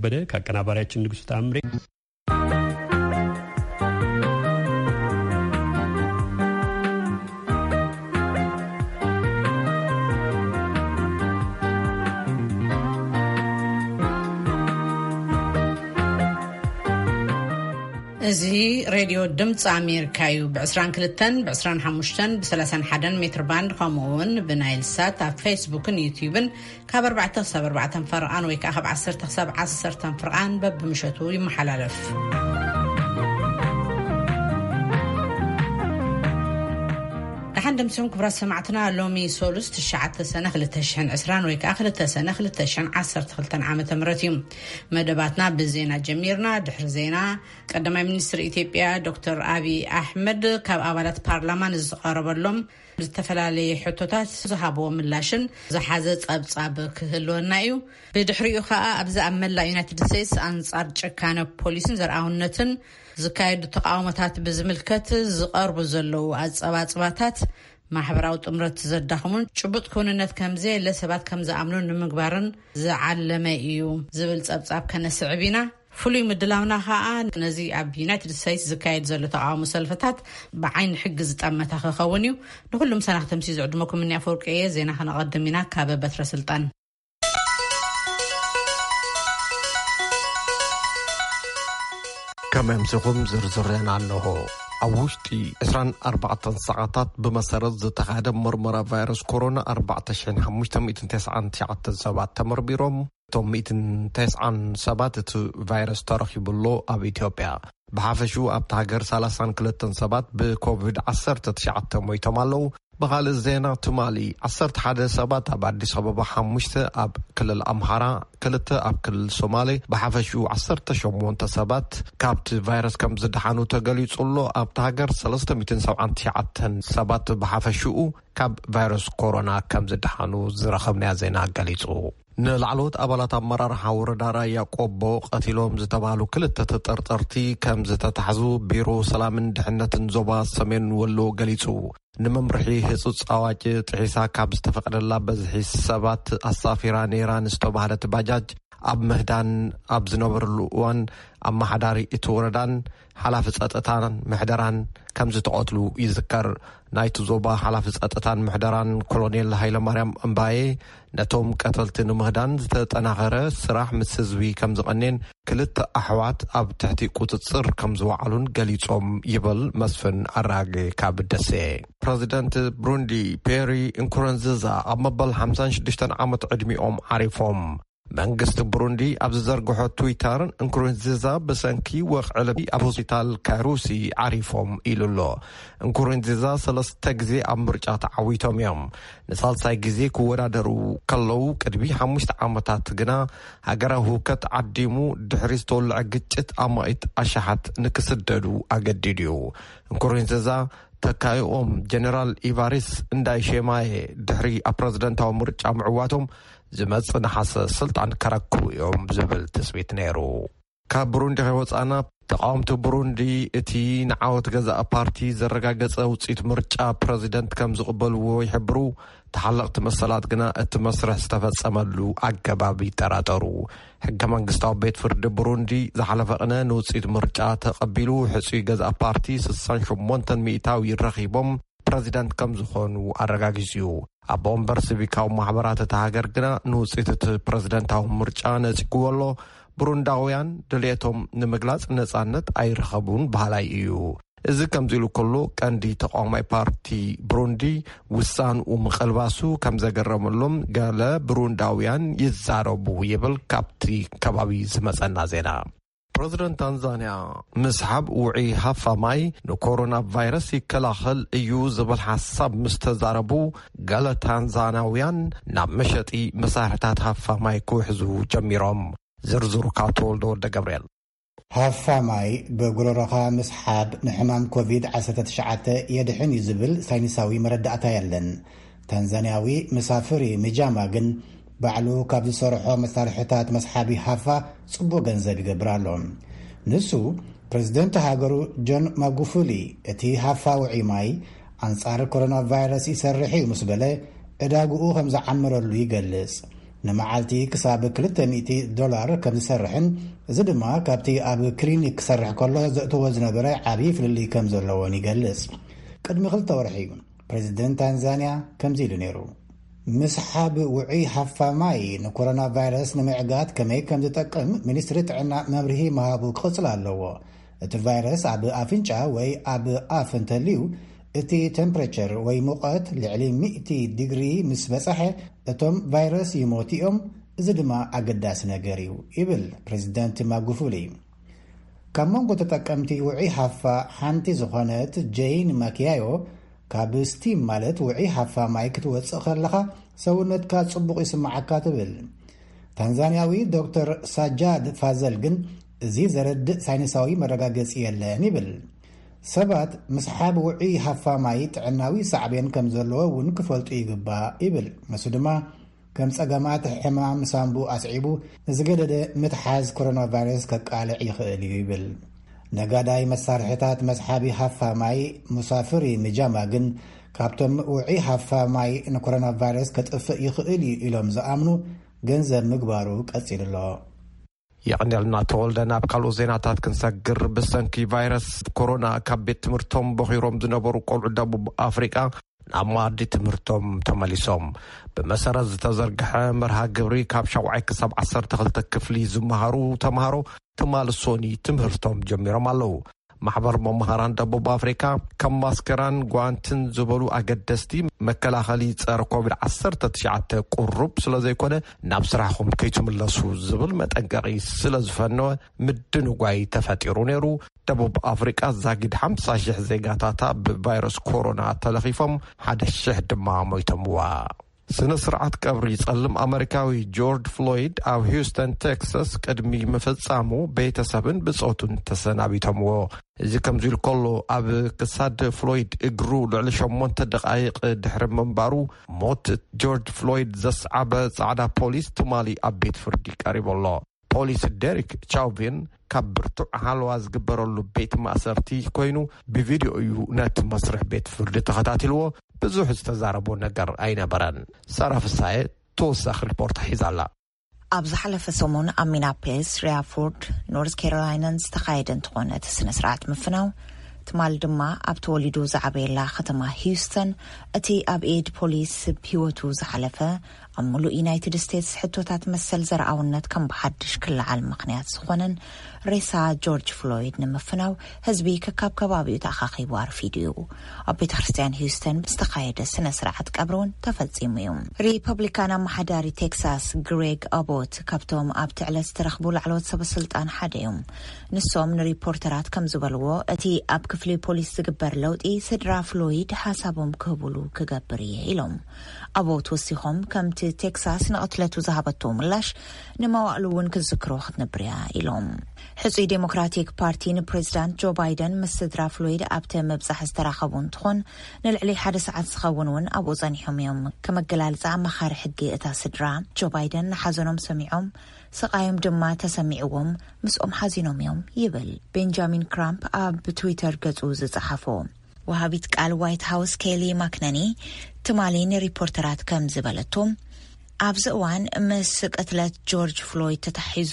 ከበደ ከአቀናባሪያችን ንጉሱ ተአምሬ። እዚ ሬድዮ ድምፂ ኣሜሪካ እዩ። ብ22፣ ብ25፣ ብ31 ሜትር ባንድ፣ ከምኡ እውን ብናይል ሳት ኣብ ፌስቡክን ዩቲዩብን ካብ ኣርባዕተ ክሳብ ኣርባዕተ ፈረቓን ወይ ከዓ ካብ ዓሰርተ ክሳብ ዓሰርተ ፈረቓን በብምሸቱ ይመሓላለፍ። ደሓን ደምሲኹም ክቡራት ሰማዕትና። ሎሚ ሶሉስ ትሽዓተ ሰነ ክልተ ሽሕን ዕስራን ወይ ከዓ ክልተ ሰነ ክልተ ሽሕን ዓሰርተ ክልተን ዓመተ ምህረት እዩ። መደባትና ብዜና ጀሚርና። ድሕሪ ዜና ቀዳማይ ሚኒስትር ኢትዮጵያ ዶክተር ኣቢይ ኣሕመድ ካብ ኣባላት ፓርላማ ንዝቐረበሎም ዝተፈላለየ ሕቶታት ዝሃብዎ ምላሽን ዝሓዘ ጸብጻብ ክህልወና እዩ። ብድሕሪኡ ከኣ ኣብዚ ኣብ መላእ ዩናይትድ ስቴትስ ኣንጻር ጭካነ ፖሊስን ዘርኣውነትን ዝካየዱ ተቃውሞታት ብዝምልከት ዝቐርቡ ዘለዉ ኣጸባጽባታት ማሕበራዊ ጥምረት ዘዳኽሙን ጭቡጥ ክውንነት ከምዘየለ ሰባት ከም ዝኣምኑ ንምግባርን ዝዓለመ እዩ ዝብል ጸብጻብ ከነስዕብ ኢና። ፍሉይ ምድላውና ከኣ ነዚ ኣብ ዩናይትድ ስቴትስ ዝካየድ ዘሎ ተቃውሞ ሰልፍታት ብዓይኒ ሕጊ ዝጠመተ ክኸውን እዩ። ንኹሉም ሰናኽቲ ምሲ ዝዕድመኩም እኒ ኣፈወርቂ እየ። ዜና ከነቐድም ኢና። ካብ በትረ ስልጣን። ከመምስኹም ዝርዝር ዜና ኣለኹ። ኣብ ውሽጢ ዕስራን ኣርባዕተን ሰዓታት ብመሰረት ዝተኻየደ ምርመራ ቫይረስ ኮሮና ኣርባዕተ ሽሕን ሓሙሽተ ሚእትን ተስዓን ትሽዓተን ሰባት ተመርሚሮም። እቶም ሚእትን ተስዓን ሰባት እቲ ቫይረስ ተረኺቡሎ ኣብ ኢትዮጵያ። ብሓፈሽኡ ኣብቲ ሃገር ሰላሳን ክልተን ሰባት ብኮቪድ ዓሰርተ ትሽዓተ ሞይቶም ኣለዉ። ብኻልእ ዜና ትማሊ ዓሰርተ ሓደ ሰባት ኣብ ኣዲስ ኣበባ፣ ሓሙሽተ ኣብ ክልል ኣምሓራ፣ ክልተ ኣብ ክልል ሶማሌ፣ ብሓፈሽኡ ዓሰርተ ሸሞንተ ሰባት ካብቲ ቫይረስ ከም ዝደሓኑ ተገሊጹ ኣሎ። ኣብቲ ሃገር ሰለስተ ሚእትን ሰብዓን ትሽዓተን ሰባት ብሓፈሽኡ ካብ ቫይረስ ኮሮና ከም ዝደሓኑ ዝረኸብናዮ ዜና ገሊጹ። ንላዕለዎት ኣባላት ኣመራርሓ ወረዳ ራያ ቆቦ ቀቲሎም ዝተባህሉ ክልተ ተጠርጠርቲ ከም ዝተታሕዙ ቢሮ ሰላምን ድሕነትን ዞባ ሰሜን ወሎ ገሊጹ። ንመምርሒ ህጹጽ ኣዋጅ ጥሒሳ ካብ ዝተፈቀደላ በዝሒ ሰባት ኣሳፊራ ነይራ ንዝተባህለት ባጃጅ ኣብ ምህዳን ኣብ ዝነበርሉ እዋን ኣመሓዳሪ እቲ ወረዳን ሓላፊ ጸጥታን ምሕደራን ከም ዝተቐትሉ ይዝከር። ናይቲ ዞባ ሓላፊ ጸጥታን ምሕደራን ኮሎኔል ሃይለማርያም እምባዬ ነቶም ቀተልቲ ንምህዳን ዝተጠናኸረ ስራሕ ምስ ህዝቢ ከም ዝቐኔን ክልተ ኣሕዋት ኣብ ትሕቲ ቁጽጽር ከም ዝወዓሉን ገሊጾም ይብል መስፍን ኣራጌ ካብ ደሴ። ፕረዚደንት ብሩንዲ ፔሪ እንኩረንዝዛ ኣብ መበል ሓምሳን ሽዱሽተን ዓመት ዕድሚኦም ዓሪፎም። መንግስቲ ብሩንዲ ኣብ ዝዘርግሖ ትዊተር፣ እንኩሩንዚዛ ብሰንኪ ወቕዒ ልቢ ኣብ ሆስፒታል ካሩሲ ዓሪፎም ኢሉ ኣሎ። እንኩሩንዚዛ ሰለስተ ግዜ ኣብ ምርጫ ተዓዊቶም እዮም። ንሳልሳይ ግዜ ክወዳደሩ ከለዉ ቅድሚ ሓሙሽተ ዓመታት ግና ሃገራዊ ህውከት ዓዲሙ ድሕሪ ዝተወልዐ ግጭት ኣማኢት ኣሽሓት ንክስደዱ ኣገዲዱ እዩ። እንኩሩንዚዛ ተካይኦም ጀነራል ኢቫሪስ እንዳይሼማየ ድሕሪ ኣብ ፕረዚደንታዊ ምርጫ ምዕዋቶም ዝመጽእ ነሓሰ ስልጣን ከረክቡ እዮም ዝብል ትጽቢት ነይሩ። ካብ ብሩንዲ ከይወጻና፣ ተቃወምቲ ብሩንዲ እቲ ንዓወት ገዛእ ፓርቲ ዘረጋገጸ ውጽኢት ምርጫ ፕረዚደንት ከም ዝቕበልዎ ይሕብሩ። ተሓለቕቲ መሰላት ግና እቲ መስርሕ ዝተፈጸመሉ ኣገባብ ይጠራጠሩ። ሕገ መንግስታዊ ቤት ፍርዲ ብሩንዲ ዝሓለፈ ቅነ ንውጽኢት ምርጫ ተቐቢሉ፣ ሕጹይ ገዛእ ፓርቲ ስሳን ሸሞንተን ሚእታዊ ረኺቦም ፕረዚደንት ከም ዝኾኑ ኣረጋጊጹ እዩ። ኣቦ ወንበር ሲቪካዊ ማሕበራት እታ ሃገር ግና ንውጽኢት እቲ ፕረዚደንታዊ ምርጫ ነጺግዎ ኣሎ። ብሩንዳውያን ድልየቶም ንምግላጽ ነጻነት ኣይረኸቡን በሃላይ እዩ። እዚ ከምዚ ኢሉ ከሎ፣ ቀንዲ ተቃዋማይ ፓርቲ ብሩንዲ ውሳንኡ ምቕልባሱ ከም ዘገረመሎም ገለ ብሩንዳውያን ይዛረቡ ይብል ካብቲ ከባቢ ዝመጸና ዜና። ፕረዚደንት ታንዛንያ ምስሓብ ውዑይ ሃፋ ማይ ንኮሮና ቫይረስ ይከላኸል እዩ ዝብል ሓሳብ ምስ ተዛረቡ፣ ገለ ታንዛናውያን ናብ መሸጢ መሳርሕታት ሃፋ ማይ ክውሕዙ ጀሚሮም። ዝርዝሩ ካብ ተወልደ ወልደ ገብርኤል። ሃፋ ማይ ብጉረሮኻ ምስሓብ ንሕማም ኮቪድ ዓሰርተ ትሽዓተ የድሕን እዩ ዝብል ሳይንሳዊ መረዳእታ የለን። ታንዛንያዊ መሳፍሪ ምጃማ ግን ባዕሉ ካብ ዝሰርሖ መሳርሕታት መስሓቢ ሃፋ ጽቡቕ ገንዘብ ይገብር ኣሎ። ንሱ፣ ፕረዚደንት ሃገሩ ጆን ማጉፉሊ፣ እቲ ሃፋ ውዑይ ማይ ኣንጻር ኮሮና ቫይረስ ይሰርሕ እዩ ምስ በለ፣ ዕዳግኡ ከም ዝዓመረሉ ይገልጽ። ንመዓልቲ ክሳብ ክልተ ሚእቲ ዶላር ከም ዝሰርሕን፣ እዚ ድማ ካብቲ ኣብ ክሊኒክ ክሰርሕ ከሎ ዘእትዎ ዝነበረ ዓብዪ ፍልልይ ከም ዘለዎን ይገልጽ። ቅድሚ ክልተ ወርሒ ፕሬዚደንት ታንዛንያ ከምዚ ኢሉ ነይሩ። ምስሓብ ውዑይ ሃፋ ማይ ንኮሮና ቫይረስ ንምዕጋት ከመይ ከም ዝጠቅም ሚኒስትሪ ጥዕና መብርሂ ምሃቡ ክቕጽል ኣለዎ። እቲ ቫይረስ ኣብ ኣፍንጫ ወይ ኣብ ኣፍ እንተልዩ፣ እቲ ቴምፕሬቸር ወይ ሙቐት ልዕሊ ሚእቲ ዲግሪ ምስ በጻሐ፣ እቶም ቫይረስ ይሞቱ እዮም። እዚ ድማ ኣገዳሲ ነገር እዩ፣ ይብል ፕሬዚደንት ማጉፉሊ። ካብ መንጎ ተጠቀምቲ ውዑይ ሃፋ ሓንቲ ዝኾነት ጄይን ማኪያዮ፣ ካብ ስቲም ማለት ውዑይ ሃፋ ማይ ክትወጽእ ከለኻ ሰውነትካ ጽቡቕ ይስምዓካ ትብል። ታንዛንያዊ ዶክተር ሳጃድ ፋዘል ግን፣ እዚ ዘረድእ ሳይንሳዊ መረጋገጺ የለን ይብል። ሰባት ምስሓብ ውዑይ ሃፋ ማይ ጥዕናዊ ሳዕቤን ከም ዘለዎ እውን ክፈልጡ ይግባእ ይብል። ንሱ ድማ ከም ጸገማት ሕማም ሳንቡእ ኣስዒቡ ንዝገደደ ምትሓዝ ኮሮና ቫይረስ ከቃልዕ ይኽእል እዩ ይብል። ነጋዳይ መሳርሕታት መስሓቢ ሃፋ ማይ ሙሳፍሪ ምጃማ ግን፣ ካብቶም ውዑይ ሃፋ ማይ ንኮሮና ቫይረስ ከጥፍእ ይኽእል እዩ ኢሎም ዝኣምኑ ገንዘብ ምግባሩ ቀጺሉ ኣሎ። የቐንየልና ተወልደ። ናብ ካልኦት ዜናታት ክንሰግር፣ ብሰንኪ ቫይረስ ኮሮና ካብ ቤት ትምህርቶም በኺሮም ዝነበሩ ቆልዑ ደቡብ ኣፍሪቃ ናብ መኣዲ ትምህርቶም ተመሊሶም። ብመሰረት ዝተዘርግሐ መርሃ ግብሪ፣ ካብ ሻውዓይ ክሳብ ዓሰርተ ክልተ ክፍሊ ዝመሃሩ ተምሃሮ ትማሊ ሶኒ ትምህርቶም ጀሚሮም ኣለዉ። ማሕበር መምሃራን ደቡብ ኣፍሪካ፣ ከም ማስከራን ጓንትን ዝበሉ ኣገደስቲ መከላኸሊ ጸረ ኮቪድ ዓሰርተ ትሽዓተ ቁሩብ ስለ ዘይኮነ፣ ናብ ስራሕኹም ከይትምለሱ ዝብል መጠንቀቒ ስለ ዝፈነወ፣ ምድንጓይ ተፈጢሩ ነይሩ። ደቡብ ኣፍሪቃ ዛጊድ ሓምሳ ሺሕ ዜጋታታ ብቫይረስ ኮሮና ተለኺፎም፣ ሓደ ሺሕ ድማ ሞይቶምዋ። ስነ ስርዓት ቀብሪ ጸልም ኣመሪካዊ ጆርጅ ፍሎይድ ኣብ ሂውስተን ቴክሳስ ቅድሚ ምፍጻሙ፣ ቤተሰብን ብጾቱን ተሰናቢቶምዎ። እዚ ከምዚ ኢሉ ከሎ፣ ኣብ ክሳድ ፍሎይድ እግሩ ልዕሊ ሸሞንተ ደቓይቕ ድሕሪ ምንባሩ፣ ሞት ጆርጅ ፍሎይድ ዘስዓበ ጻዕዳ ፖሊስ ትማሊ ኣብ ቤት ፍርዲ ቀሪቡ ኣሎ። ፖሊስ ዴሪክ ቻውቪን ካብ ብርቱዕ ሃለዋ ዝግበረሉ ቤት ማእሰርቲ ኮይኑ፣ ብቪድዮ እዩ ነቲ መስርሕ ቤት ፍርዲ ተኸታቲልዎ። ብዙሕ ዝተዛረቦ ነገር ኣይነበረን። ሳራ ፍሳየ ተወሳኺ ሪፖርት ሒዛ ኣላ። ኣብ ዝሓለፈ ሰሙን ኣብ ሚናፖሊስ ሪያፎርድ ኖርዝ ካሮላይናን ዝተኻየደ እንትኾን፣ እቲ ስነ ስርዓት ምፍናው ትማል ድማ ኣብ ተወሊዱ ዝዓበየላ ከተማ ሂውስተን፣ እቲ ኣብ ኤድ ፖሊስ ህይወቱ ዝሓለፈ፣ ኣብ ሙሉእ ዩናይትድ ስቴትስ ሕቶታት መሰል ዘርኣውነት ከም ብሓድሽ ክለዓል ምኽንያት ዝኾነን ሬሳ ጆርጅ ፍሎይድ ንምፍናው፣ ህዝቢ ከካብ ከባቢኡ ተኣኻኺቡ ኣርፊዱ እዩ። ኣብ ቤተ ክርስቲያን ሂውስተን ዝተኻየደ ስነ ስርዓት ቀብሪ እውን ተፈጺሙ እዩ። ሪፐብሊካን ኣመሓዳሪ ቴክሳስ ግሬግ ኣቦት ካብቶም ኣብቲ ዕለት ዝተረኽቡ ላዕለዎት ሰበስልጣን ሓደ እዮም። ንሶም ንሪፖርተራት ከም ዝበልዎ፣ እቲ ኣብ ክፍሊ ፖሊስ ዝግበር ለውጢ ስድራ ፍሎይድ ሓሳቦም ክህቡሉ ክገብር እየ ኢሎም። ኣቦት ወሲኾም፣ ከምቲ ቴክሳስ ንቕትለቱ ዝሃበቶ ምላሽ ንመዋእሉ እውን ክትዝክሮ ክትነብር እያ ኢሎም። ሕጹይ ዴሞክራቲክ ፓርቲ ንፕሬዚዳንት ጆ ባይደን ምስ ስድራ ፍሎይድ ኣብቲ ምብጻሕ ዝተራኸቡ እንትኾን፣ ንልዕሊ ሓደ ሰዓት ዝኸውን እውን ኣብኡ ጸኒሖም እዮም። ከም ኣገላልጻ ኣማኻሪ ሕጊ እታ ስድራ፣ ጆ ባይደን ንሓዘኖም ሰሚዖም፣ ስቓዮም ድማ ተሰሚዕዎም፣ ምስኦም ሓዚኖም እዮም ይብል ቤንጃሚን ክራምፕ ኣብ ትዊተር ገጹ ዝጸሓፎ። ወሃቢት ቃል ዋይት ሃውስ ኬሊ ማክነኒ ትማሊ ንሪፖርተራት ከም ዝበለቶ፣ ኣብዚ እዋን ምስ ቅትለት ጆርጅ ፍሎይድ ተታሒዙ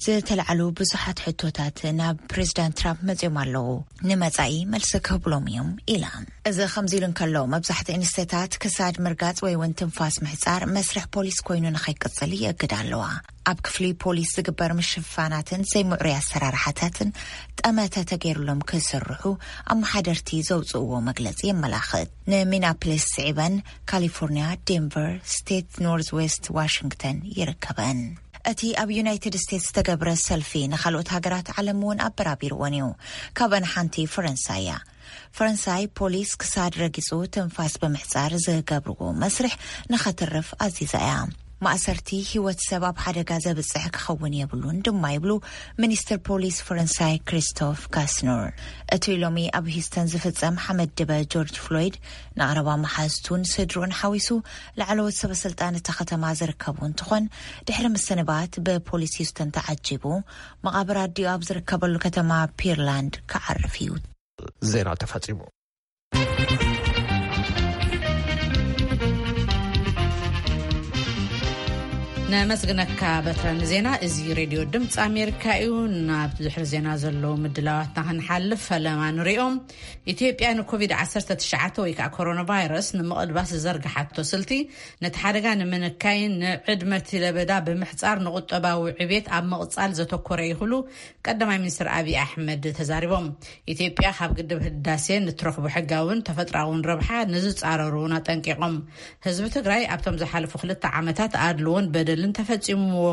ዝተላዕሉ ብዙሓት ሕቶታት ናብ ፕሬዚዳንት ትራምፕ መጺኦም ኣለዉ። ንመጻኢ መልሲ ክህብሎም እዮም ኢላ። እዚ ከምዚ ኢሉ እንከሎ፣ መብዛሕትኡ እንስተታት ክሳድ ምርጋጽ ወይ እውን ትንፋስ ምሕጻር መስርሕ ፖሊስ ኮይኑ ንኸይቅጽል ይእግድ ኣለዋ። ኣብ ክፍሊ ፖሊስ ዝግበር ምሽፋናትን ዘይምዕሩይ ኣሰራርሓታትን ጠመተ ተገይሩሎም ክስርሑ ኣመሓደርቲ ዘውፅእዎ መግለፂ የመላኽት። ንሚናፖሊስ ስዒበን ካሊፎርኒያ፣ ዴንቨር፣ ስቴት ኖርዝ ዌስት ዋሽንግተን ይርከበን። እቲ ኣብ ዩናይትድ ስቴትስ ዝተገብረ ሰልፊ ንኻልኦት ሃገራት ዓለም እውን ኣበራቢርዎን እዩ። ካብአን ሓንቲ ፈረንሳይ እያ። ፈረንሳይ ፖሊስ ክሳድ ረጊጹ ትንፋስ ብምሕጻር ዝገብርዎ መስርሕ ንኸትርፍ ኣዚዛ እያ። ማእሰርቲ ህይወት ሰብ ኣብ ሓደጋ ዘብጽሕ ክኸውን የብሉን ድማ ይብሉ ሚኒስትር ፖሊስ ፈረንሳይ ክሪስቶፍ ካስኖር። እቲ ሎሚ ኣብ ሂውስተን ዝፍጸም ሓመድ ድበ ጆርጅ ፍሎይድ ንቐረባ መሓዝቱን ስድርኡን ሓዊሱ ላዕለዎት ሰበ ስልጣን እታ ከተማ ዝርከቡ እንትኾን፣ ድሕሪ ምስንባት ብፖሊስ ሂውስተን ተዓጂቡ መቓብር ኣዲኡ ኣብ ዝርከበሉ ከተማ ፒርላንድ ክዓርፍ እዩ። ዜና ተፈጺሙ። ነመስግነካ በትረ ንዜና። እዚ ሬድዮ ድምፂ ኣሜሪካ እዩ። ናብ ድሕሪ ዜና ዘለዉ ምድላዋትና ክንሓልፍ ፈለማ ንሪኦም። ኢትዮጵያ ንኮቪድ ዓሰርተ ትሽዓተ ወይ ከዓ ኮሮና ቫይረስ ንምቕልባስ ዝዘርግሓቶ ስልቲ፣ ነቲ ሓደጋ ንምንካይን ንዕድመቲ ለበዳ ብምሕፃር ንቁጠባዊ ዕቤት ኣብ ምቕፃል ዘተኮረ እዩ ክብሉ ቀዳማይ ሚኒስትር ኣብይ ኣሕመድ ተዛሪቦም። ኢትዮጵያ ካብ ግድብ ህዳሴ ንትረኽቦ ሕጋውን ተፈጥራውን ረብሓ ንዝፃረሩ እውን ኣጠንቂቖም። ህዝቢ ትግራይ ኣብቶም ዝሓለፉ ክልተ ዓመታት ኣድልዎን በደልን ተፈፂምዎ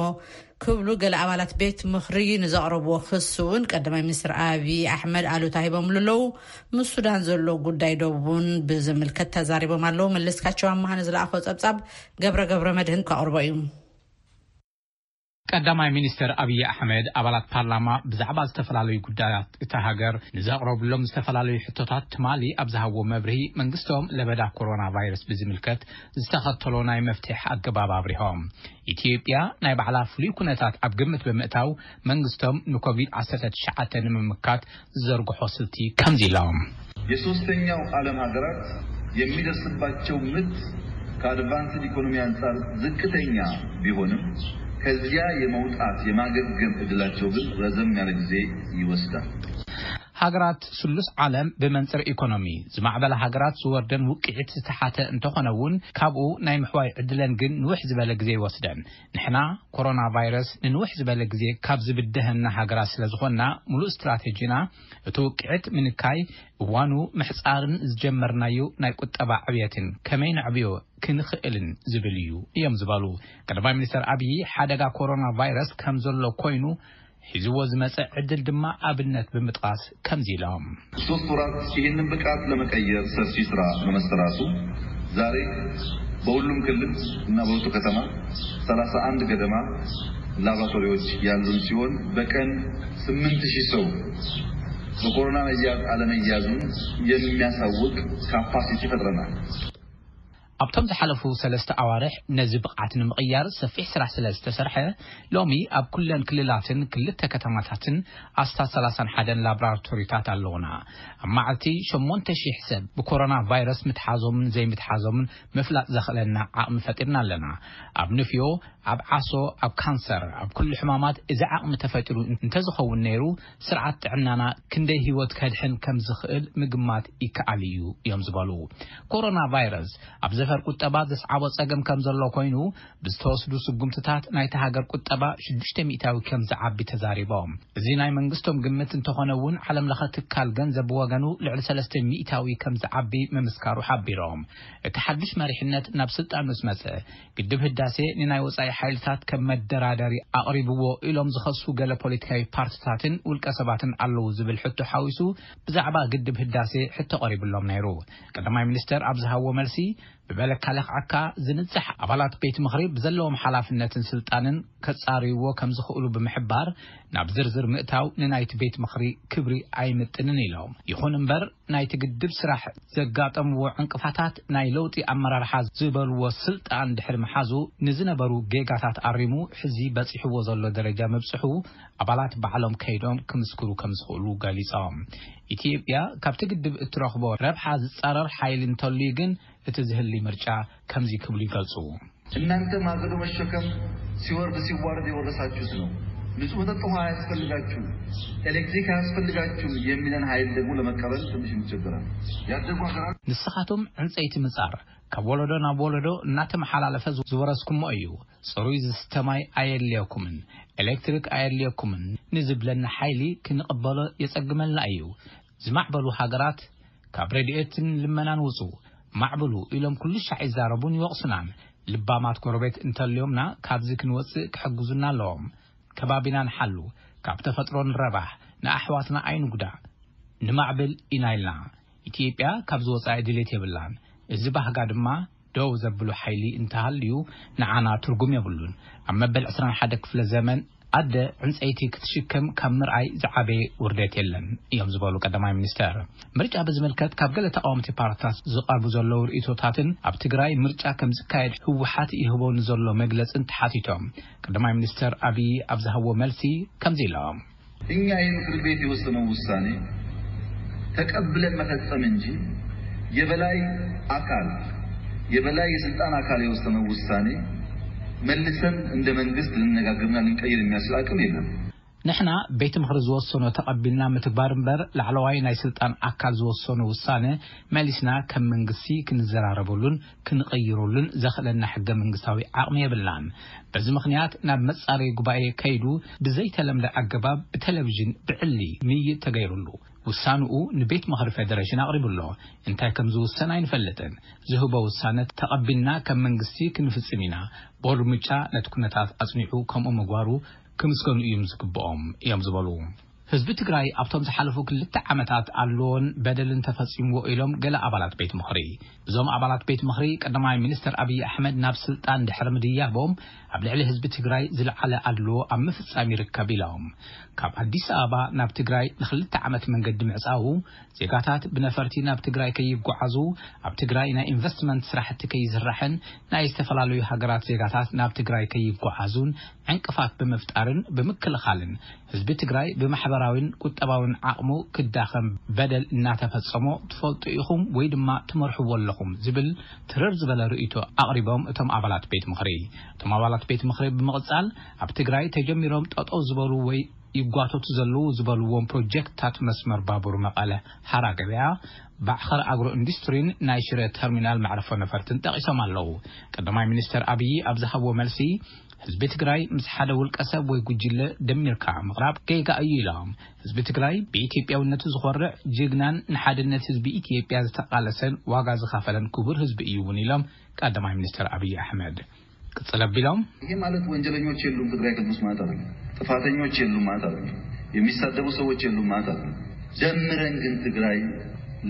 ክብሉ ገለ ኣባላት ቤት ምኽሪ ንዘቕረብዎ ክሲ እውን ቀዳማይ ሚኒስትር ኣብይ ኣሕመድ ኣሉታ ሂቦምሉ ኣለዉ። ምስ ሱዳን ዘሎ ጉዳይ ዶብ እውን ብዝምልከት ተዛሪቦም ኣለዉ። መለስካቸው ኣማሃ ንዝለኣኾ ጸብጻብ ገብረ ገብረ መድህን ከቕርቦ እዩ። ቀዳማይ ሚኒስትር ኣብይ ኣሕመድ ኣባላት ፓርላማ ብዛዕባ ዝተፈላለዩ ጉዳያት እታ ሃገር ንዘቕረብሎም ዝተፈላለዩ ሕቶታት ትማሊ ኣብ ዝሃብዎ መብርሂ፣ መንግስቶም ለበዳ ኮሮና ቫይረስ ብዝምልከት ዝተኸተሎ ናይ መፍትሒ ኣገባብ ኣብሪሆም። ኢትዮጵያ ናይ ባዕላ ፍሉይ ኩነታት ኣብ ግምት ብምእታው፣ መንግስቶም ንኮቪድ ዓሰርተ ትሽዓተ ንምምካት ዝዘርግሖ ስልቲ ከምዚ ኢሎም። የሶስተኛው ዓለም ሀገራት የሚደርስባቸው ምት ከአድቫንስድ ኢኮኖሚ አንጻር ዝቅተኛ ቢሆንም፣ ከዚያ የመውጣት የማገገም እድላቸው ግን ረዘም ያለ ጊዜ ይወስዳል። ሃገራት ስሉስ ዓለም ብመንጽር ኢኮኖሚ ዝማዕበላ ሃገራት ዝወርደን ውቅዒት ዝተሓተ እንተኾነ እውን፣ ካብኡ ናይ ምሕዋይ ዕድለን ግን ንውሕ ዝበለ ግዜ ይወስደን። ንሕና ኮሮና ቫይረስ ንንውሕ ዝበለ ግዜ ካብ ዝብድሀና ሃገራት ስለ ዝኾንና፣ ሙሉእ ስትራቴጂና እቲ ውቅዒት ምንካይ፣ እዋኑ ምሕጻርን ዝጀመርናዮ ናይ ቁጠባ ዕብየትን ከመይ ነዕብዮ ክንኽእልን ዝብል እዩ እዮም ዝበሉ። ቀዳማይ ሚኒስትር ኣብይ፣ ሓደጋ ኮሮና ቫይረስ ከም ዘሎ ኮይኑ፣ ሒዝዎ ዝመጸ ዕድል ድማ ኣብነት ብምጥቃስ ከምዚ ኢሎም። ሶስት ወራት ይህንን ብቃት ለመቀየር ሰፊ ስራ በመሰራቱ፣ ዛሬ በሁሉም ክልል እና በሁሉ ከተማ ሰላሳ አንድ ገደማ ላቦራቶሪዎች ያሉን ሲሆን፣ በቀን ስምንት ሺህ ሰው በኮሮና መያዝ አለመያዙን የሚያሳውቅ ካፓሲቲ ፈጥረናል። ኣብቶም ዝሓለፉ ሰለስተ ኣዋርሕ ነዚ ብቕዓት ንምቕያር ሰፊሕ ስራሕ ስለ ዝተሰርሐ፣ ሎሚ ኣብ ኩለን ክልላትን ክልተ ከተማታትን ኣስታት ሰላሳን ሓደን ላቦራቶሪታት ኣለዉና። ኣብ መዓልቲ ሸሞንተ ሺሕ ሰብ ብኮሮና ቫይረስ ምትሓዞምን ዘይምትሓዞምን ምፍላጥ ዘኽእለና ዓቕሚ ፈጢርና ኣለና። ኣብ ንፍዮ፣ ኣብ ዓሶ፣ ኣብ ካንሰር፣ ኣብ ኩሉ ሕማማት እዚ ዓቕሚ ተፈጢሩ እንተዝኸውን ነይሩ፣ ስርዓት ጥዕናና ክንደይ ህይወት ከድሕን ከም ዝኽእል ምግማት ይከኣል እዩ እዮም ዝበሉ። ኮሮና ቫይረስ ኣብ ዘፈር ቁጠባ ዘስዓቦ ጸገም ከም ዘሎ ኮይኑ፣ ብዝተወስዱ ስጉምትታት ናይታ ሃገር ቁጠባ ሽዱሽተ ሚእታዊ ከም ዝዓቢ ተዛሪቦም። እዚ ናይ መንግስቶም ግምት እንተኾነ እውን፣ ዓለም ለኸ ትካል ገንዘብ ብወገኑ ልዕሊ ሰለስተ ሚእታዊ ከም ዝዓቢ ምምስካሩ ሓቢሮም። እቲ ሓድሽ መሪሕነት ናብ ስልጣን ምስ መጸ፣ ግድብ ህዳሴ ንናይ ወጻኢ ሓይልታት ከም መደራደሪ ኣቕሪብዎ ኢሎም ዝኸሱ ገለ ፖለቲካዊ ፓርቲታትን ውልቀ ሰባትን ኣለዉ ዝብል ሕቶ ሓዊሱ፣ ብዛዕባ ግድብ ህዳሴ ሕቶ ቀሪብሎም ነይሩ። ቀዳማይ ሚኒስተር ኣብ ዝሃብዎ መልሲ፣ ብበለካ ለኽዓካ ዝንጽሕ ኣባላት ቤት ምኽሪ ብዘለዎም ሓላፍነትን ስልጣንን ከጻርይዎ ከም ዝኽእሉ ብምሕባር፣ ናብ ዝርዝር ምእታው ንናይቲ ቤት ምኽሪ ክብሪ ኣይምጥንን ኢሎም። ይኹን እምበር፣ ናይቲ ግድብ ስራሕ ዘጋጠምዎ ዕንቅፋታት ናይ ለውጢ ኣመራርሓ ዝበልዎ ስልጣን ድሕሪ ምሓዙ፣ ንዝነበሩ ጌጋታት ኣሪሙ ሕዚ በጺሕዎ ዘሎ ደረጃ ምብጽሑ ኣባላት ባዕሎም ከይዶም ክምስክሩ ከም ዝኽእሉ ገሊጾም። ኢትዮጵያ ካብቲ ግድብ እትረኽቦ ረብሓ ዝጻረር ሓይሊ እንተልዩ ግን፣ እቲ ዝህሊ ምርጫ ከምዚ ክብሉ ይገልጹ። እናንተ ማገዶ መሸከም ሲወርድ ሲዋረድ የወረሳችሁት ነው። ንጹህ መጠጥ ውሃ አያስፈልጋችሁም፣ ኤሌክትሪክ አያስፈልጋችሁም የሚለን ኃይል ደግሞ ለመቀበል ትንሽ እንቸገራለን። ያደጉ ሀገራት ንስኻትኩም ዕንጸይቲ ምጻር ካብ ወለዶ ናብ ወለዶ እናተመሓላለፈ ዝወረስኩሞ እዩ። ጽሩይ ዝስተ ማይ ኣየድልየኩምን፣ ኤሌክትሪክ ኣየድልየኩምን ንዝብለና ሓይሊ ክንቕበሎ የጸግመልና እዩ። ዝማዕበሉ ሃገራት ካብ ረድኤትን ልመናን ውጹ፣ ማዕብሉ ኢሎም ኩሉ ሻዕ ይዛረቡን ይወቕሱናን። ልባማት ጎረቤት እንተልዮምና ካብዚ ክንወጽእ ክሕግዙና ኣለዎም። ከባቢና ንሓሉ፣ ካብ ተፈጥሮ ንረባሕ፣ ንኣሕዋትና ኣይንጉዳእ። ንማዕብል ኢና ኢልና። ኢትዮጵያ ካብዚ ወጻኢ ድሌት የብላን። እዚ ባህጋ ድማ ደው ዘብሉ ሓይሊ እንተሃልዩ ንዓና ትርጉም የብሉን። ኣብ መበል ዕስራን ሓደ ክፍለ ዘመን ኣደ ዕንጸይቲ ክትሽከም ካብ ምርኣይ ዝዓበየ ውርደት የለን እዮም ዝበሉ ቀዳማይ ሚኒስተር። ምርጫ ብዝምልከት ካብ ገለ ተቃወምቲ ፓርትታት ዝቐርቡ ዘለዉ ርእይቶታትን ኣብ ትግራይ ምርጫ ከም ዝካየድ ህወሓት ይህቦ ንዘሎ መግለጽን ተሓቲቶም ቀዳማይ ሚኒስተር ኣብይ ኣብ ዝሃብዎ መልሲ ከምዚ ኢሎም። እኛ ይህ ምክር ቤት የወሰነው ውሳኔ ተቀብለን መፈጸም እንጂ የበላይ አካል የበላይ የስልጣን አካል የወሰነው ውሳኔ መልሰን እንደ መንግስት ልንነጋገርና ልንቀይር የሚያስችል አቅም የለም። ንሕና ቤት ምኽሪ ዝወሰኖ ተቐቢልና ምትግባር እምበር፣ ላዕለዋይ ናይ ስልጣን ኣካል ዝወሰኖ ውሳነ መሊስና ከም መንግስቲ ክንዘራረበሉን ክንቕይረሉን ዘኽእለና ሕገ መንግስታዊ ዓቕሚ የብልናን። በዚ ምኽንያት ናብ መጻረይ ጉባኤ ከይዱ ብዘይተለምደ ኣገባብ ብቴሌቪዥን ብዕሊ ምይይጥ ተገይሩሉ። ውሳንኡ ንቤት ምኽሪ ፌደሬሽን ኣቕሪቡ ኣሎ። እንታይ ከም ዝውሰን ኣይንፈልጥን። ዝህቦ ውሳነ ተቐቢልና ከም መንግስቲ ክንፍጽም ኢና። ቦርድ ምርጫ ነቲ ኩነታት ኣጽኒዑ ከምኡ ምግባሩ ክምስገኑ እዮም ዝግብኦም እዮም ዝበሉ። ህዝቢ ትግራይ ኣብቶም ዝሓለፉ ክልተ ዓመታት ኣለዎን በደልን ተፈጺምዎ ኢሎም ገለ ኣባላት ቤት ምኽሪ። እዞም ኣባላት ቤት ምኽሪ ቀዳማይ ሚኒስትር ኣብይ ኣሕመድ ናብ ስልጣን ድሕሪ ምድያቦም ኣብ ልዕሊ ህዝቢ ትግራይ ዝለዓለ ኣድልዎ ኣብ ምፍጻም ይርከብ ኢሎም። ካብ ኣዲስ ኣበባ ናብ ትግራይ ንክልተ ዓመት መንገዲ ምዕጻዉ፣ ዜጋታት ብነፈርቲ ናብ ትግራይ ከይጓዓዙ፣ ኣብ ትግራይ ናይ ኢንቨስትመንት ስራሕቲ ከይስራሕን ናይ ዝተፈላለዩ ሃገራት ዜጋታት ናብ ትግራይ ከይጓዓዙን ዕንቅፋት ብምፍጣርን ብምክልኻልን ህዝቢ ትግራይ ብማሕበራዊን ቁጠባዊን ዓቕሙ ክዳኸም በደል እናተፈጸሞ ትፈልጡ ኢኹም ወይ ድማ ትመርሕዎ ኣለኹም ዝብል ትርር ዝበለ ርእይቶ ኣቕሪቦም እቶም ኣባላት ቤት ምኽሪ። እቶም ኣባላት ቤት ምኽሪ ብምቕጻል ኣብ ትግራይ ተጀሚሮም ጠጠው ዝበሉ ወይ ይጓተቱ ዘለዉ ዝበልዎም ፕሮጀክትታት መስመር ባቡር መቐለ ሓራ ገበያ፣ ባዕኸር ኣግሮ ኢንዱስትሪን ናይ ሽረ ተርሚናል መዕረፎ ነፈርትን ጠቒሶም ኣለዉ። ቀዳማይ ሚኒስተር ኣብዪ ኣብ ዝሃብዎ መልሲ፣ ህዝቢ ትግራይ ምስ ሓደ ውልቀ ሰብ ወይ ጉጅለ ደሚርካ ምቕራብ ጌጋ እዩ ኢሎም። ህዝቢ ትግራይ ብኢትዮጵያውነቱ ዝኾርዕ ጅግናን ንሓድነት ህዝቢ ኢትዮጵያ ዝተቓለሰን ዋጋ ዝኸፈለን ክቡር ህዝቢ እዩ እውን ኢሎም ቀዳማይ ሚኒስተር ኣብዪ ኣሕመድ። ቅጽል ኣቢሎም፣ ይሄ ማለት ወንጀለኞች የሉም ትግራይ ክልል ውስጥ ማለት አይደለም። ጥፋተኞች የሉም ማለት አይደለም። የሚሳደቡ ሰዎች የሉም ማለት አይደለም። ደምረን ግን ትግራይ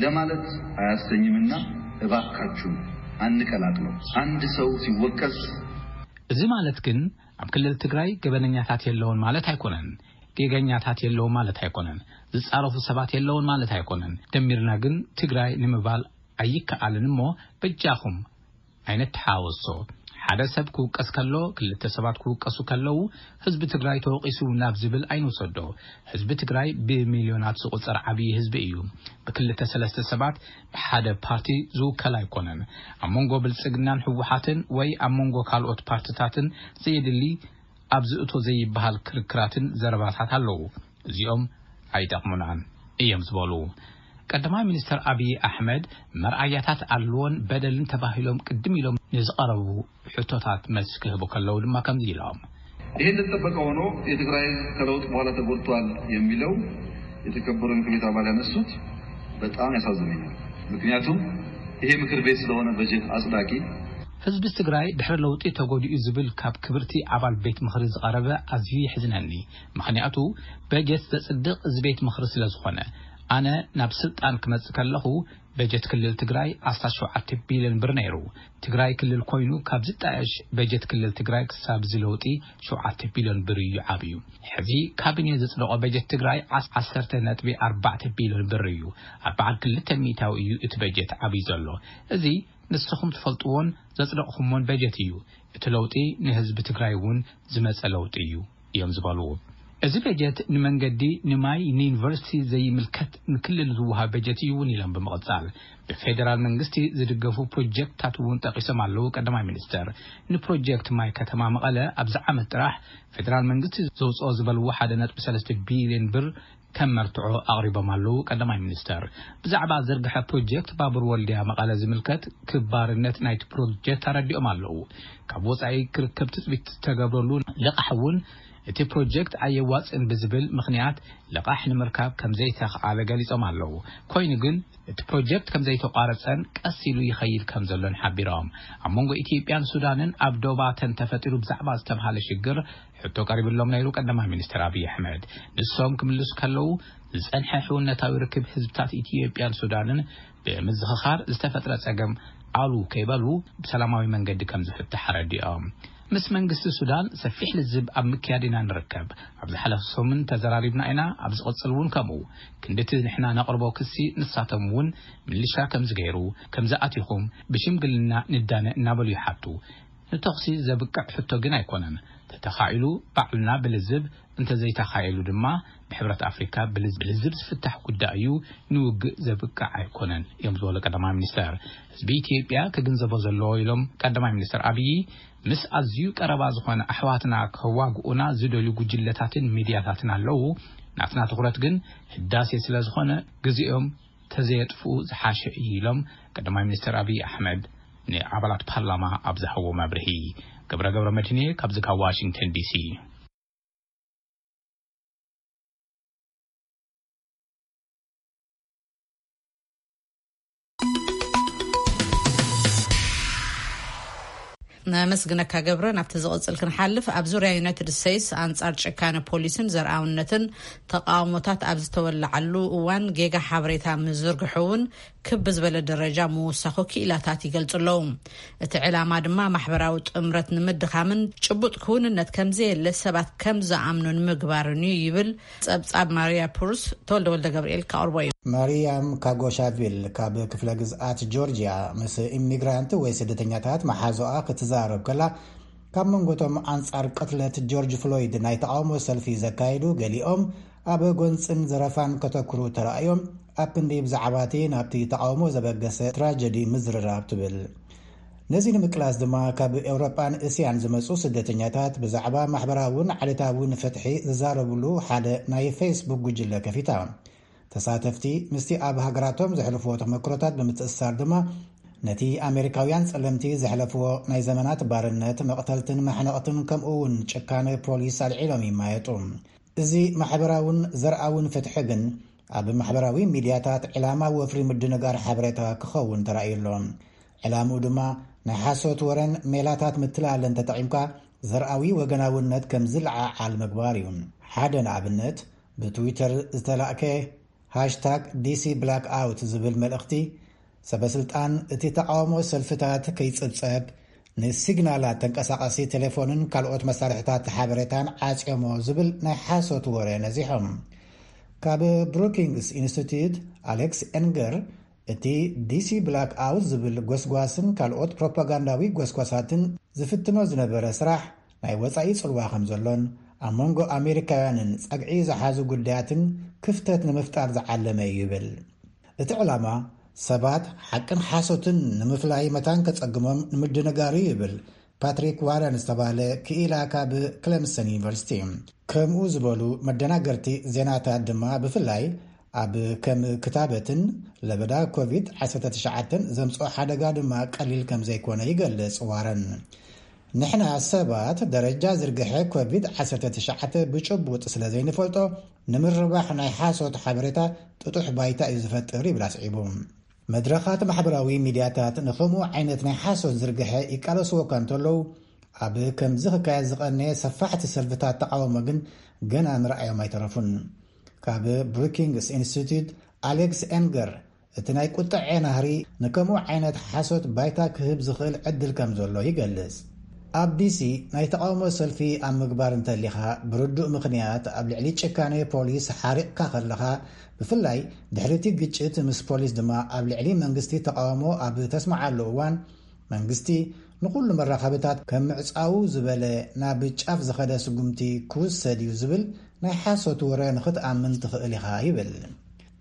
ለማለት አያሰኝምና እባካችሁ አንቀላቅለው። አንድ ሰው ሲወቀስ እዚ ማለት ግን ኣብ ክልል ትግራይ ገበነኛታት የለውን ማለት ኣይኮነን። ጌገኛታት የለውን ማለት ኣይኮነን። ዝጻረፉ ሰባት የለውን ማለት ኣይኮነን። ደሚርና ግን ትግራይ ንምባል ኣይከኣልን እሞ በጃኹም ኣይነተሓወሶ። ሓደ ሰብ ክውቀስ ከሎ፣ ክልተ ሰባት ክውቀሱ ከለዉ፣ ህዝቢ ትግራይ ተወቂሱ ናብ ዝብል ኣይንውሰዶ። ህዝቢ ትግራይ ብሚልዮናት ዝቑጸር ዓብዪ ህዝቢ እዩ። ብክልተ ሰለስተ ሰባት ብሓደ ፓርቲ ዝውከል ኣይኮነን። ኣብ መንጎ ብልጽግናን ህወሓትን ወይ ኣብ መንጎ ካልኦት ፓርትታትን ዘየድሊ ኣብ ዝእቶ ዘይበሃል ክርክራትን ዘረባታት ኣለዉ። እዚኦም ኣይጠቕሙናን እዮም ዝበሉ ቀዳማይ ሚኒስተር ኣብዪ ኣሕመድ፣ መርኣያታት ኣድልዎን በደልን ተባሂሎም ቅድም ኢሎም ንዝቐረቡ ሕቶታት መልሲ ክህቡ ከለዉ ድማ ከምዚ ኢሎም። ይሄ እንደተጠበቀ ሆኖ የትግራይ ህዝብ ከለውጥ በኋላ ተጎድቷል የሚለው የተከበሩ ምክር ቤት አባል ያነሱት በጣም ያሳዝነኛል። ምክንያቱም ይሄ ምክር ቤት ስለሆነ በጀት አጽዳቂ ህዝቢ ትግራይ ድሕሪ ለውጢ ተጎዲኡ ዝብል ካብ ክብርቲ ኣባል ቤት ምኽሪ ዝቐረበ ኣዝዩ የሕዝነኒ። ምኽንያቱ በጀት ዘጽድቕ እዚ ቤት ምኽሪ ስለ ዝኾነ። ኣነ ናብ ስልጣን ክመጽእ ከለኹ በጀት ክልል ትግራይ ዓሰርተ ሸውዓተ ቢልዮን ብር ነይሩ። ትግራይ ክልል ኮይኑ ካብ ዝጣየሽ በጀት ክልል ትግራይ ክሳብ እዚ ለውጢ ሸውዓተ ቢልዮን ብር እዩ ዓብዩ። ሕዚ ካቢኔ ዘጽደቆ በጀት ትግራይ ዓሰርተ ነጥቢ ኣርባዕተ ቢልዮን ብር እዩ። ኣርባዓን ክልተን ሚእታዊ እዩ እቲ በጀት ዓብዩ ዘሎ። እዚ ንስኹም ትፈልጥዎን ዘጽደቕኹሞን በጀት እዩ። እቲ ለውጢ ንህዝቢ ትግራይ እውን ዝመጸ ለውጢ እዩ እዮም ዝበሉ። እዚ በጀት ንመንገዲ፣ ንማይ፣ ንዩኒቨርሲቲ ዘይምልከት ንክልል ዝወሃብ በጀት እዩ እውን ኢሎም ብምቕጻል፣ ብፌደራል መንግስቲ ዝድገፉ ፕሮጀክትታት እውን ጠቒሶም ኣለዉ ቀዳማይ ሚኒስተር። ንፕሮጀክት ማይ ከተማ መቐለ ኣብዚ ዓመት ጥራሕ ፌደራል መንግስቲ ዘውፅኦ ዝበልዎ ሓደ ነጥቢ ሰለስተ ቢልዮን ብር ከም መርትዖ ኣቕሪቦም ኣለዉ ቀዳማይ ሚኒስተር። ብዛዕባ ዝርግሐ ፕሮጀክት ባቡር ወልድያ መቐለ ዝምልከት ክባርነት ናይቲ ፕሮጀክት ኣረዲኦም ኣለዉ። ካብ ወፃኢ ክርከብ ትፅቢት ዝተገብረሉ ልቓሕ እውን እቲ ፕሮጀክት ኣየዋፅእን ብዝብል ምኽንያት ልቓሕ ንምርካብ ከም ዘይተኽኣለ ገሊፆም ኣለዉ። ኮይኑ ግን እቲ ፕሮጀክት ከም ዘይተቋረፀን ቀስ ኢሉ ይኸይድ ከም ዘሎን ሓቢሮም። ኣብ መንጎ ኢትዮጵያን ሱዳንን ኣብ ዶባተን ተፈጢሩ ብዛዕባ ዝተብሃለ ሽግር ሕቶ ቀሪብሎም ነይሩ ቀዳማይ ሚኒስትር ኣብይ ኣሕመድ። ንሶም ክምልሱ ከለዉ ዝጸንሐ ሕውነታዊ ርክብ ህዝብታት ኢትዮጵያን ሱዳንን ብምዝኽኻር ዝተፈጥረ ጸገም ኣሉ ከይበሉ ብሰላማዊ መንገዲ ከም ዝፍታሕ ኣረዲኦም። ምስ መንግስቲ ሱዳን ሰፊሕ ልዝብ ኣብ ምክያድ ኢና ንርከብ። ኣብ ዝሓለፈ ሰሙን ተዘራሪብና ኢና፣ ኣብ ዝቕጽል እውን ከምኡ። ክንድቲ ንሕና ነቕርቦ ክሲ ንሳቶም እውን ምልሻ ከም ዝገይሩ፣ ከም ዝኣቲኹም ብሽምግልና ንዳነ እናበሉ ይሓቱ። ንተኹሲ ዘብቅዕ ሕቶ ግን ኣይኮነን። ተተኻኢሉ ባዕልና ብልዝብ፣ እንተዘይተኻኢሉ ድማ ብሕብረት ኣፍሪካ ብልዝ-፣ ብልዝብ ዝፍታሕ ጉዳይ እዩ፣ ንውግእ ዘብቅዕ ኣይኮነን እዮም ዝበሉ ቀዳማይ ሚኒስተር። ህዝቢ ኢትዮጵያ ክግንዘቦ ዘለዎ ኢሎም ቀዳማይ ሚኒስተር ኣብዪ፣ ምስ ኣዝዩ ቀረባ ዝኾነ ኣሕዋትና ከዋግኡና ዝደልዩ ጉጅለታትን ሚድያታትን ኣለዉ። ናትና ትኹረት ግን ህዳሴ ስለ ዝኾነ ግዜኦም ተዘየጥፍኡ ዝሓሸ እዩ ኢሎም ቀዳማይ ሚኒስተር ኣብዪ ኣሕመድ ንኣባላት ፓርላማ ኣብ ዝሃብዎ መብርሂ። ገብረ ገብረ መድህንየ ካብዚ ካብ ዋሽንግተን ዲሲ። ነመስግነካ ገብረ። ናብቲ ዝቕጽል ክንሓልፍ፣ ኣብ ዙርያ ዩናይትድ ስቴትስ ኣንጻር ጭካነ ፖሊስን ዘርኣውነትን ተቃውሞታት ኣብ ዝተወለዓሉ እዋን፣ ጌጋ ሓበሬታ ምዝርግሑ እውን ክብ ዝበለ ደረጃ ምውሳኹ ክኢላታት ይገልጹ ኣለዉ። እቲ ዕላማ ድማ ማሕበራዊ ጥምረት ንምድኻምን ጭቡጥ ክውንነት ከምዘየለ ሰባት ከም ዝኣምኑ ንምግባርን እዩ ይብል ጸብጻብ ማርያ ፑርስ። ተወልደ ወልደ ገብርኤል ከቕርቦ እዩ። ማርያም ካጎሻቪል ካብ ክፍለ ግዝኣት ጆርጂያ ምስ ኢሚግራንት ወይ ስደተኛታት መሓዞኣ ክትዛረብ ከላ፣ ካብ መንጎቶም ኣንጻር ቅትለት ጆርጅ ፍሎይድ ናይ ተቓውሞ ሰልፊ ዘካየዱ ገሊኦም ኣብ ጎንጽን ዘረፋን ከተኩሩ ተራእዮም፣ ኣብ ክንዲ ብዛዕባ እቲ ናብቲ ተቓውሞ ዘበገሰ ትራጀዲ ምዝርራብ ትብል። ነዚ ንምቅላስ ድማ ካብ ኤውሮጳን እስያን ዝመጹ ስደተኛታት ብዛዕባ ማሕበራውን ዓሌታውን ፍትሒ ዝዛረብሉ ሓደ ናይ ፌስቡክ ጉጅለ ከፊታ። ተሳተፍቲ ምስቲ ኣብ ሃገራቶም ዘሕልፍዎ ተመክሮታት ብምትእስሳር ድማ ነቲ ኣሜሪካውያን ጸለምቲ ዘሕለፍዎ ናይ ዘመናት ባርነት፣ መቕተልትን ማሕነቕትን ከምኡ እውን ጭካነ ፖሊስ ኣልዒሎም ይማየጡ። እዚ ማሕበራውን ዘርኣውን ፍትሒ ግን ኣብ ማሕበራዊ ሚድያታት ዕላማ ወፍሪ ምድንጋር ሓበሬታ ክኸውን ተራእዩ ኣሎ። ዕላምኡ ድማ ናይ ሓሶት ወረን ሜላታት ምትላልን ተጠቒምካ ዘርኣዊ ወገናውነት ከም ዝለዓዓል ምግባር እዩ። ሓደ ንኣብነት ብትዊተር ዝተላእከ ሃሽታግ ዲሲ ብላክ ኣውት ዝብል መልእኽቲ፣ ሰበስልጣን እቲ ተቓውሞ ሰልፍታት ከይጽብጸብ ንሲግናላት ተንቀሳቓሲ ቴሌፎንን ካልኦት መሳርሕታት ሓበሬታን ዓጽዮሞ ዝብል ናይ ሓሶት ወረ ነዚሖም። ካብ ብሩኪንግስ ኢንስቲትዩት ኣሌክስ ኤንገር፣ እቲ ዲሲ ብላክ ኣውት ዝብል ጎስጓስን ካልኦት ፕሮፓጋንዳዊ ጎስጓሳትን ዝፍትኖ ዝነበረ ስራሕ ናይ ወጻኢ ጽልዋ ከም ዘሎን ኣብ መንጎ ኣሜሪካውያንን ጸግዒ ዝሓዙ ጉዳያትን ክፍተት ንምፍጣር ዝዓለመ እዩ ይብል። እቲ ዕላማ ሰባት ሓቅን ሓሶትን ንምፍላይ መታን ከጸግሞም ንምድንጋር እዩ ይብል ፓትሪክ ዋረን ዝተባህለ ክኢላ ካብ ክለምሰን ዩኒቨርሲቲ። ከምኡ ዝበሉ መደናገርቲ ዜናታት ድማ ብፍላይ ኣብ ከም ክታበትን ለበዳ ኮቪድ ዓሰርተ ትሽዓተ ዘምጽኦ ሓደጋ ድማ ቀሊል ከም ዘይኮነ ይገልጽ ዋረን። ንሕና ሰባት ደረጃ ዝርግሐ ኮቪድ ዓሰርተ ትሽዓተ ብጭቡጥ ስለ ዘይንፈልጦ፣ ንምርባሕ ናይ ሓሶት ሓበሬታ ጥጡሕ ባይታ እዩ ዝፈጥር ይብል ኣስዒቡ። መድረኻት ማሕበራዊ ሚድያታት ንኸምኡ ዓይነት ናይ ሓሶት ዝርግሐ ይቃለስዎ እኳ እንተለዉ፣ ኣብ ከምዚ ክካየድ ዝቐነየ ሰፋሕቲ ሰልፍታት ተቓውሞ ግን ገና ምርኣዮም ኣይተረፉን። ካብ ብሩኪንግስ ኢንስቲትዩት ኣሌክስ ኤንገር፣ እቲ ናይ ቁጥዐ ናህሪ ንከምኡ ዓይነት ሓሶት ባይታ ክህብ ዝኽእል ዕድል ከም ዘሎ ይገልጽ። ኣብ ዲሲ ናይ ተቓውሞ ሰልፊ ኣብ ምግባር እንተሊኻ፣ ብርዱእ ምኽንያት ኣብ ልዕሊ ጭካኔ ፖሊስ ሓሪቕካ ከለኻ፣ ብፍላይ ድሕሪቲ ግጭት ምስ ፖሊስ ድማ ኣብ ልዕሊ መንግስቲ ተቓውሞ ኣብ ተስምዓሉ እዋን፣ መንግስቲ ንኹሉ መራኸብታት ከም ምዕጻዉ ዝበለ ናብ ጫፍ ዝኸደ ስጉምቲ ክውሰድ እዩ ዝብል ናይ ሓሶት ወረ ንኽትኣምን ትኽእል ኢኻ ይብል።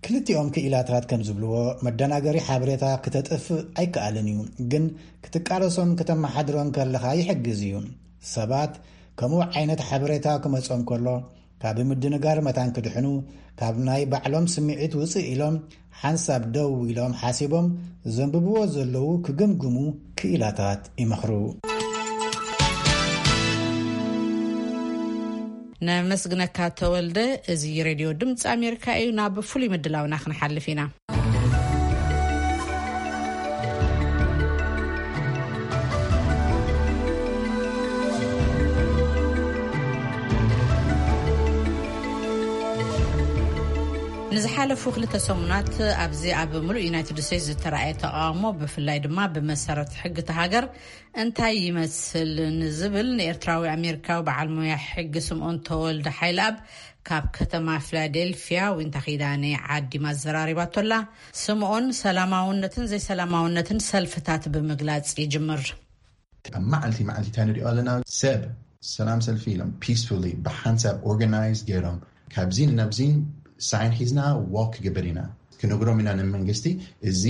ክልቲኦም ክኢላታት ከም ዝብልዎ፣ መደናገሪ ሓበሬታ ክተጥፍእ ኣይከኣልን እዩ፣ ግን ክትቃለሶን ክተመሓድሮን ከለኻ ይሕግዝ እዩ። ሰባት ከምኡ ዓይነት ሓበሬታ ክመጾም ከሎ፣ ካብ ምድንጋር መታን ክድሕኑ፣ ካብ ናይ ባዕሎም ስምዒት ውጽእ ኢሎም፣ ሓንሳብ ደው ኢሎም ሓሲቦም ዘንብብዎ ዘለዉ ክግምግሙ ክኢላታት ይመኽሩ። ነመስግነካ ተወልደ። እዚ ሬድዮ ድምፂ ኣሜሪካ እዩ። ናብ ፍሉይ ምድላውና ክንሓልፍ ኢና። ንዝሓለፉ ክልተ ሰሙናት ኣብዚ ኣብ ምሉእ ዩናይትድ ስቴትስ ዝተራእየ ተቓውሞ፣ ብፍላይ ድማ ብመሰረት ሕጊ እታ ሃገር እንታይ ይመስል ንዝብል፣ ንኤርትራዊ ኣሜሪካዊ በዓል ሞያ ሕጊ ስምኦን ተወልደ ሓይለኣብ ካብ ከተማ ፊላዴልፊያ ዊንታ ኪዳነ ዓዲማ ኣዘራሪባቶላ። ስምኦን ሰላማውነትን ዘይሰላማውነትን ሰልፍታት ብምግላጽ ይጅምር። ኣብ መዓልቲ መዓልቲ እንታይ ንሪኦ ኣለና? ሰብ ሰላም ሰልፊ ኢሎም peacefully ብሓንሳብ organized ገይሮም ካብዚን ናብዚን ሳይን ሒዝና walk ክገብር ኢና ክንግሮም ኢና ንመንግስቲ። እዚ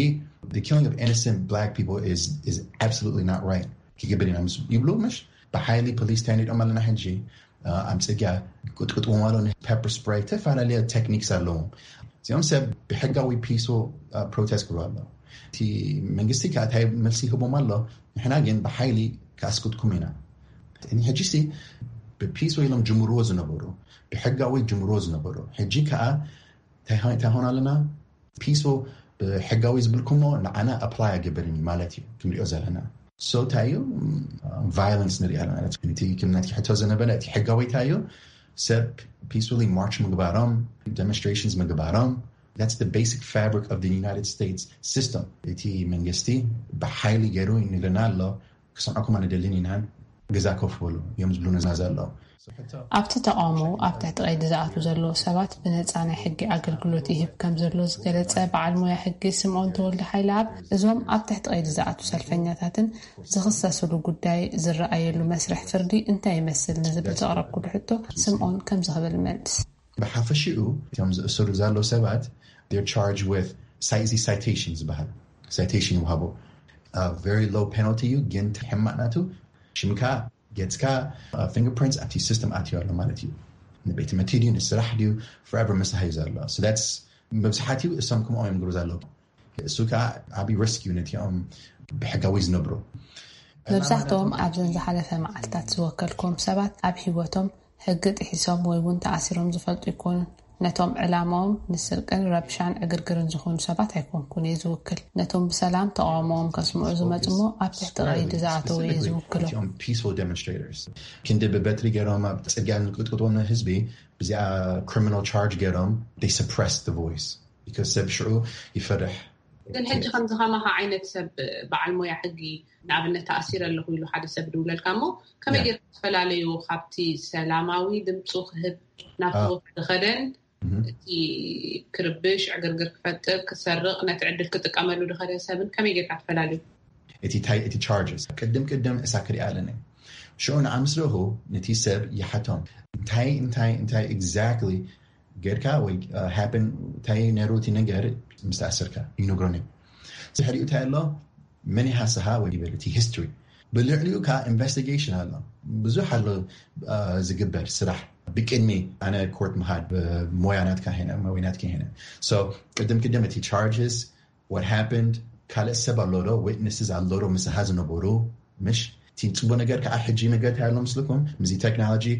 the killing of innocent black people is is absolutely not right ክገብር ኢና ምስ ይብሉ ምሽ ብሓይሊ ፖሊስ ታይኒዶም ኣለና ሕጂ ኣብ ፅርግያ ቁጥቁጥዎም ኣሎ። Pepper spray ተፈላለየ techniques ኣለዎም። እዚኦም ሰብ ብሕጋዊ peaceful protest ክብሉ ኣሎ። እቲ መንግስቲ ከዓ እንታይ መልሲ ይህቦም ኣሎ? ንሕና ግን ብሓይሊ ክኣስቁጥኩም ኢና። ሕጂ ሲ ብpeaceful ኢሎም ጅምርዎ ዝነበሩ ብሕጋዊ ጅምርዎ ዝነበሩ ሕጂ ከዓ እንታይ ሆን ኣለና? Peaceful ብሕጋዊ ዝብልኩሞ ንዓና apply ኣገብርን እዩ ማለት እዩ ክንሪኦ ዘለና። So እንታይ እዩ violence ንሪኢ ኣለና። እቲ ክምናት ክሕቶ ዝነበረ እቲ ሕጋዊ እንታይ እዩ? ሰብ peacefully march ምግባሮም፣ demonstrations ምግባሮም፣ that's the basic fabric of the United States system። እቲ መንግስቲ ብሓይሊ ገይሩ ይንግርና ኣሎ። ክሰምዐኩም ኣንደልን ኢናን ገዛ ኮፍ በሉ እዮም ዝብሉና ዘለዉ። ኣብቲ ተቃውሞ ኣብ ትሕቲ ቀይዲ ዝኣትዉ ዘለዉ ሰባት ብነፃ ናይ ሕጊ ኣገልግሎት ይህብ ከም ዘሎ ዝገለፀ በዓል ሞያ ሕጊ ስምኦን ተወልደ ሓይለኣብ እዞም ኣብ ትሕቲ ቀይዲ ዝኣትዉ ሰልፈኛታትን ዝኽሰስሉ ጉዳይ ዝረኣየሉ መስርሕ ፍርዲ እንታይ ይመስል ንዝብል ዘቕረብኩሉ ሕቶ ስምኦን ከምዚ ክብል ይመልስ። ብሓፈሽኡ እቶም ዝእሰሩ ዘለዉ ሰባት they're charged with citation ዝበሃል citation ይወሃቦ። Very low penalty እዩ ግን ሕማቕ ናቱ ሽምካ ገፅካ fingerprints ኣብቲ system ኣትዩ ኣሎ ማለት እዩ። ንቤት ትምህርቲ ድዩ ንስራሕ ድዩ forever ምሳሕ እዩ ዘሎ። So that's መብዛሕትኡ እሶም ከምኦም እዮም ዝገብሩ ዘለዉ። እሱ ከዓ ዓብዪ risk እዩ ነቲኦም ብሕጋዊ ዝነብሩ። መብዛሕትኦም ኣብዘን ዝሓለፈ መዓልታት ዝወከልኩም ሰባት ኣብ ህይወቶም ሕጊ ጥሒሶም ወይ እውን ተኣሲሮም ዝፈልጡ ኣይኮኑን። ነቶም ዕላማኦም ንስርቅን ረብሻን ዕግርግርን ዝኾኑ ሰባት ኣይኮንኩን እየ ዝውክል። ነቶም ብሰላም ተቃውሞኦም ከስምዑ ዝመፁ እሞ ኣብ ትሕቲ ቀይዲ ዝኣተዉ እየ ዝውክሎም። Peaceful demonstrators ክንዲ ብበትሪ ገይሮም ኣብ ፅርግያ ዝቅጥቅጥዎም ህዝቢ ብዚኣ criminal charge ገይሮም they suppress the voice because ሰብ ሽዑ ይፈርሕ። ግን ሕጂ ከምዚ ከማኻ ዓይነት ሰብ በዓል ሞያ ሕጊ ንኣብነት ተኣሲረ ኣለኹ ኢሉ ሓደ ሰብ ድውለልካ እሞ ከመይ ጌርካ ትፈላለዩ ካብቲ ሰላማዊ ድምፁ ክህብ ናብቲ ቦታ ዝኸደን እቲ ክርብሽ ዕግርግር ክፈጥር ክሰርቕ ነቲ ዕድል ክጥቀመሉ ዝኸደ ሰብን ከመይ ጌርካ ትፈላለዩ? እቲ ታይ እቲ charges ቅድም ቅድም እሳ ክሪኣ ኣለኒ ሽዑ ንዓ ምስ ረእኹ ነቲ ሰብ ይሓቶም እንታይ እንታይ እንታይ exactly ጌርካ ወይ happen እንታይ ነይሩ እቲ ነገር ምስ ተኣሰርካ ይነግሮኒ። ድሕሪኡ እንታይ ኣሎ መን ይሃስኻ ወይ ይበል እቲ history ብልዕሊኡ ከዓ investigation ኣሎ ብዙሕ ኣሎ ዝግበር ስራሕ ብቅድሚ ኣነ court ምኻድ ሞያ ናትካ ሄነ ወይ ናትካ ሄነ። So ቅድም ቅድም እቲ charges what happened ካልእ ሰብ ኣሎ ዶ witnesses ኣሎ ዶ ምሳኻ ዝነበሩ ምሽ እቲ ፅቡቅ ነገር ከዓ ሕጂ ነገር እንታይ ኣሎ ምስልኩም ምስዚ technology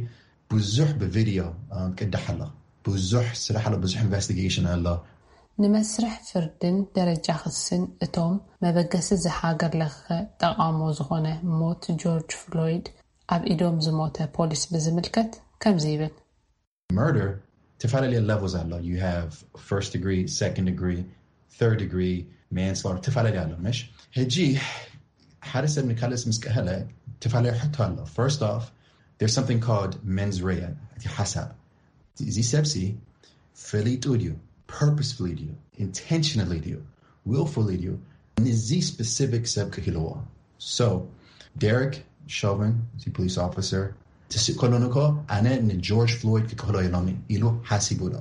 ብዙሕ ብቪድዮ ቅዳሕ ኣሎ ብዙሕ ስራሕ ኣሎ ብዙሕ investigation ኣሎ። ንመስርሕ ፍርድን ደረጃ ክስን እቶም መበገሲ እዚ ሃገር ለኸ ተቃውሞ ዝኾነ ሞት ጆርጅ ፍሎይድ ኣብ ኢዶም ዝሞተ ፖሊስ ብዝምልከት ከምዚ ይብል። Murder ተፈላለየ levels ኣሎ you have first degree second degree third degree manslaughter ተፈላለየ ኣሎ ምሽ ሕጂ ሓደ ሰብ ንካልእ ምስ ቀተለ ተፈላለየ ሕቶ ኣሎ። First off there's something called mens rea እቲ ሓሳብ እዚ ሰብሲ ፈሊጡ ድዩ purposefully ድዩ intentionally ድዩ willfully ድዩ ንዚ specific ሰብ ክህልዎ። So Derek Chauvin እዚ police officer ትስእ ከሎ ንኮ ኣነ ንጆርጅ ፍሎይድ ክክህሎ ኢሎም ኢሉ ሓሲቡ ዶ?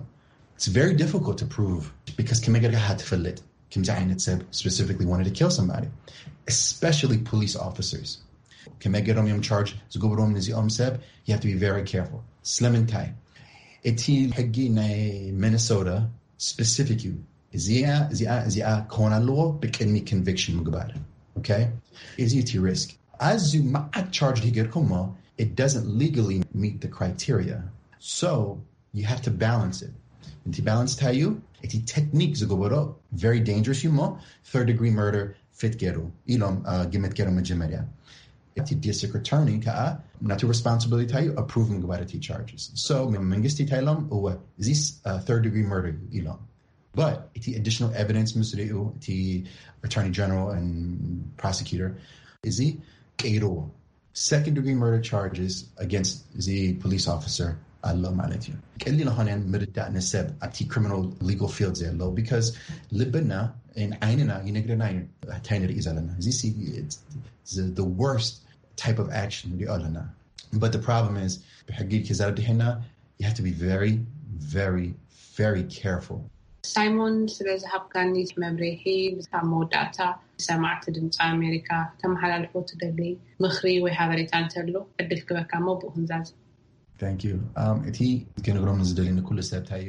It's very difficult to prove because ከመይ ጌርካ ትፈልጥ ከምዚ ዓይነት ሰብ specifically wanted to kill somebody especially police officers ከመይ ገይሮም እዮም charge ዝገብሮም ንዚኦም ሰብ you have to be very careful ስለምንታይ እቲ ሕጊ ናይ ሚኒሶታ specific እዩ እዚኣ እዚኣ እዚኣ ክኾን ኣለዎ ብቅድሚ conviction ምግባር okay እዚ እቲ risk ኣዝዩ መዓት charge ጌርኩሞ it doesn't legally meet the criteria so you have to balance it እቲ balance እንታይ እዩ እቲ technique ዝገበሮ very dangerous እዩ እሞ third degree murder fit ገይሩ ኢሎም ግምት ገይሮም መጀመርያ እቲ district attorney ከዓ ናቱ responsibility እዩ approve ምግባር እቲ charges so መንግስቲ እንታይ ኢሎም እወ እዚ third degree murder እዩ ኢሎም but እቲ additional evidence ምስ ሪኡ እቲ attorney general and prosecutor እዚ ቀይርዎ second degree murder charges against እዚ police officer ኣሎ ማለት እዩ። ቀሊል ኾነን ምርዳእ ንሰብ ኣብቲ criminal legal field ዘሎ because ልብና ዓይንና ይነግረና እዩ እንታይ ንርኢ ዘለና እዚ the worst type of action ንሪኦ ኣለና But the problem is, ብሕጊ ክዛረብ ድሕና, you have to be very, very, very careful. ሳይሞን፣ ስለ ዝሃብካኒ መብርሂ፣ ኣብ መወዳእታ ሰማዕቲ ድምፂ ኣሜሪካ ተመሓላልፎ ትደሊ ምኽሪ ወይ ሓበሬታ እንተሎ ዕድል ክበካ እሞ ብኡ ክንዛዝ። Thank you. Um, እቲ ክነግሮም ዝደሊ ንኩሉ ሰብ እንታይ እዩ?